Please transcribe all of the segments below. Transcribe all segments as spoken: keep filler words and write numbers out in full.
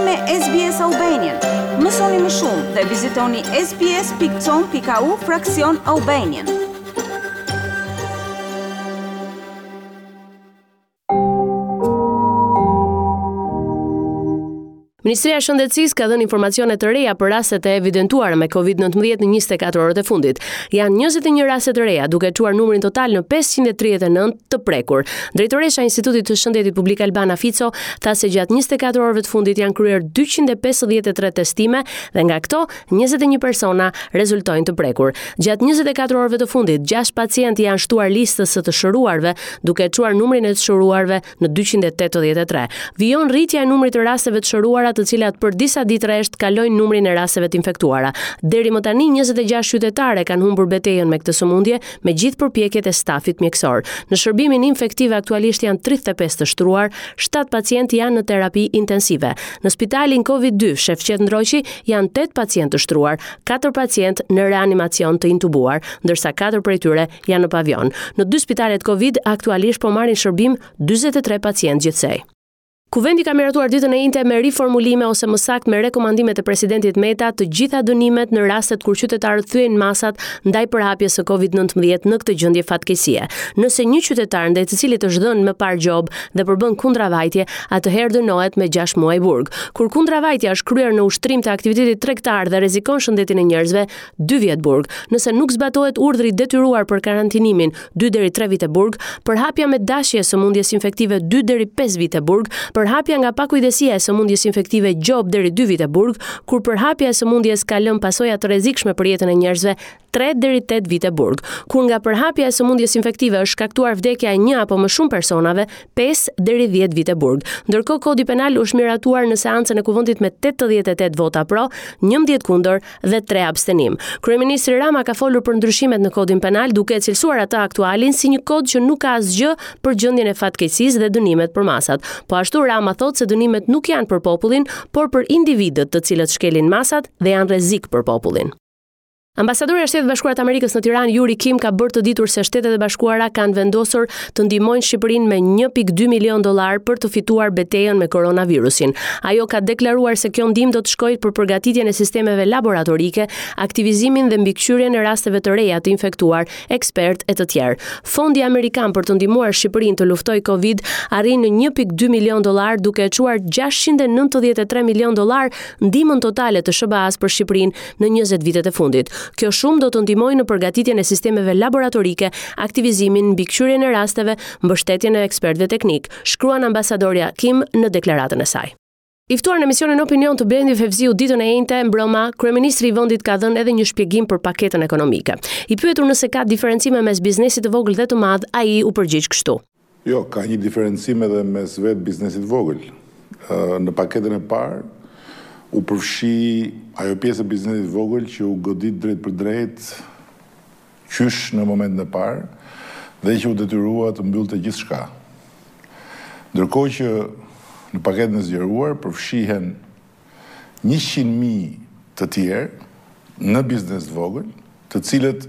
me S B S Albanian. Mësoni më shumë dhe vizitoni S B S pikë com pikë A U fraksion Albanian. Ministria e Shëndetësisë ka dhënë informacione të reja për rastet e evidentuara me Covid nëntëmbëdhjetë në njëzet e katër orët e fundit. Janë njëzet e një raste të reja, duke çuar numrin total në pesëqind e tridhjetë e nëntë të prekur. Drejtoresha e Institutit të Shëndetit Publik, Albana Fico, tha se gjatë njëzet e katër orëve të fundit janë kryer dyqind e pesëdhjetë e tre testime dhe nga këto njëzet e një persona rezultojnë të prekur. Gjatë njëzet e katër orëve të fundit, gjashtë pacientë janë shtuar listës së të shëruarve, duke çuar numrin e të shëruarve në dyqind e tetëdhjetë e tre. Vijon rritja e numrit të rasteve të shëruara, të cilat për disa ditë rresht kalojnë numrin e rasteve të infektuara. Deri më tani njëzet e gjashtë qytetarë kanë humbur betejën me këtë sëmundje, me gjithë përpjekjet e stafit mjekësor. Në shërbimin infektiv aktualisht janë tridhjetë e pesë të shtruar, shtatë pacientë janë në terapi intensive. Në spitalin Covid dy Shefqet Ndroqi janë tetë pacientë të shtruar, katër pacientë në reanimacion të intubuar, ndërsa katër prej tyre janë në pavion. Në dy spitalet Covid aktualisht po marrin shërbim dyzet e tre pacientë gjithsej. Kuvendi ka miratuar ditën e enjte me riformulime, ose më saktë me rekomandimet e presidentit Meta, të gjitha dënimet në rastet kur qytetarët thyejnë masat ndaj përhapjes së Covid nëntëmbëdhjetë në këtë gjendje fatkeqësie. Nëse një qytetar ndaj të cilit është dhënë më parë gjobë dhe përbën kundravajtje, atëherë dënohet me gjashtë muaj burg. Kur kundravajtja është kryer në ushtrim të aktivitetit tregtar dhe rrezikon shëndetin e njerëzve, dy vjet burg. Nëse nuk zbatohet urdhri i detyruar për karantinimin, dy deri tre vite burg, përhapja me dashje e sëmundjes infektive, dy deri pesë vite burg, përhapja nga pakujdesia e sëmundjes infektive, gjobë deri dy vite burg, kur përhapja e sëmundjes ka lënë pasoja të rrezikshme për jetën e njerëzve, tre deri tetë vite burg. Kur nga përhapja e sëmundjes infektive është shkaktuar vdekja e një apo më shumë personave, pesë deri dhjetë vite burg. Ndërkohë, Kodi Penal është miratuar në seancën e Kuvendit me tetëdhjetë e tetë vota pro, njëmbëdhjetë kundër dhe tre abstenim. Kryeministri Rama ka folur për ndryshimet në Kodin Penal, duke e cilësuar atë aktualin si një kod që nuk ka asgjë për gjendjen e fatkeqësisë dhe dënimet për masat. Po ashtu, Rama thotë se dënimet nuk janë për popullin, por për individët të cilët shkelin masat dhe janë rrezik për popullin. Ambasadori i Shteteve të Bashkuara të Amerikës në Tiranë, Yuri Kim, ka bërë të ditur se Shtetet e Bashkuara kanë vendosur të ndihmojnë Shqipërinë me një pikë dy milion dollar për të fituar betejën me koronavirusin. Ajo ka deklaruar se kjo ndihmë do të shkojë për përgatitjen e sistemeve laboratorike, aktivizimin dhe mbikëqyrjen e rasteve të reja të infektuar, ekspert e të tjerë. Fondi amerikan për të ndihmuar Shqipërinë të luftojë Covid arrin në një pikë dy milion dollar, duke e çuar gjashtëqind e nëntëdhjetë e tre milion dollar ndihmën totale të S H B A-s për Shqipërinë në njëzet vitet e fundit. Kjo shumë do të ndihmojë në përgatitjen e sistemeve laboratorike, aktivizimin, mbikëqyrjen e rasteve, mbështetjen e ekspertëve teknik, shkruan ambasadorja Kim në deklaratën e saj. I ftuar në emisionin Opinion të Blendi Fevziu ditën e enjte mbrëma, kryeministri i vendit ka dhënë edhe një shpjegim për paketën ekonomike. I pyetur nëse ka diferencime mes biznesit të vogël dhe të madh, ai u përgjigj kështu. Jo, ka një diferencim edhe mes vetë biznesit të vogël. Në paketën e parë u përfshi ajo pjesë e biznesit të vogël që u godit drejt për drejt qysh në momentin e parë dhe që u detyrua të mbyllte gjithçka. Ndërkohë që në paketën e zgjeruar përfshihen njëqind mijë të tjerë në biznes të vogël, të cilët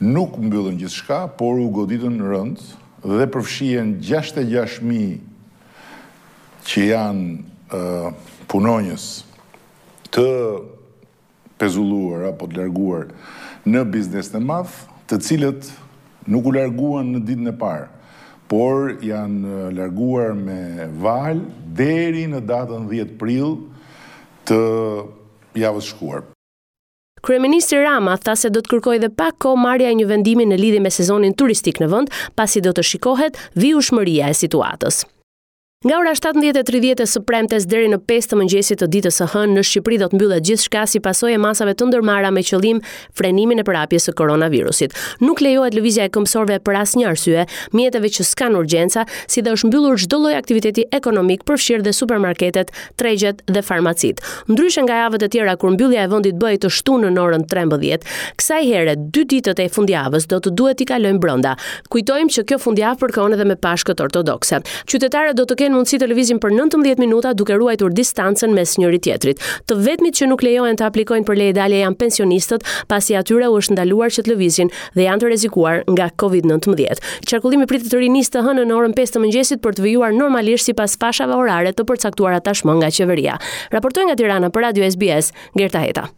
nuk mbyllën gjithçka, por u goditën rënd dhe përfshihen gjashtëdhjetë e gjashtë mijë që janë uh, punonjës të pezulluar apo të larguar në biznesin e madh, të cilët nuk u larguan në ditën e parë, por janë larguar me valë deri në datën dhjetë prill të javës shkuar. Kryeministri Rama tha se do të kërkojë dhe pak kohë marrja e një vendimi në lidhje me sezonin turistik në vend, pasi do të shikohet vijueshmëria e situatës. Nga ora shtatëmbëdhjetë e tridhjetë së premtes deri në pesë të mëngjesit të ditës së hënë, në Shqipëri do të mbyllet gjithçka si pasojë e masave të ndërmarra me qëllim frenimin e përhapjes së koronavirusit. Nuk lejohet lëvizja e këmbësorëve për asnjë arsye, mjeteve që s'kan urgjenca, si dhe është mbyllur çdo lloj aktiviteti ekonomik, përfshirë dhe supermarketet, tregjet dhe farmacitë. Ndryshe nga javët e tjera, kur mbyllja e vendit bëhej të shtunën në orën trembëdhjetë, kësaj here dy ditët e fundjavës do të duhet t'i kalojmë brenda. Kujtojmë që kjo fundjavë përkon edhe me Pashkët ortodokse. Qytetarët do të kenë kenë mundësi të lëvizin për nëntëmbëdhjetë minuta duke ruajtur distancën mes njëri tjetrit. Të vetmit që nuk lejohen të aplikojnë për leje dalje janë pensionistët, pasi atyre u është ndaluar që të lëvizin dhe janë të rrezikuar nga Covid nëntëmbëdhjetë. Qarkullimi pritet të rinisë të hënën në orën pesë të mëngjesit për të vijuar normalisht sipas fashave orare të përcaktuara tashmë nga qeveria. Raportoi nga Tirana për Radio S B S, Gerta Heta.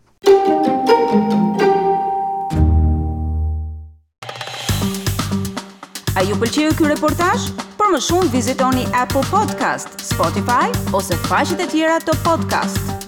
A ju pëlqeu ky reportazh? Për më shumë vizitoni Apple Podcast, Spotify ose faqet e tjera të podcast.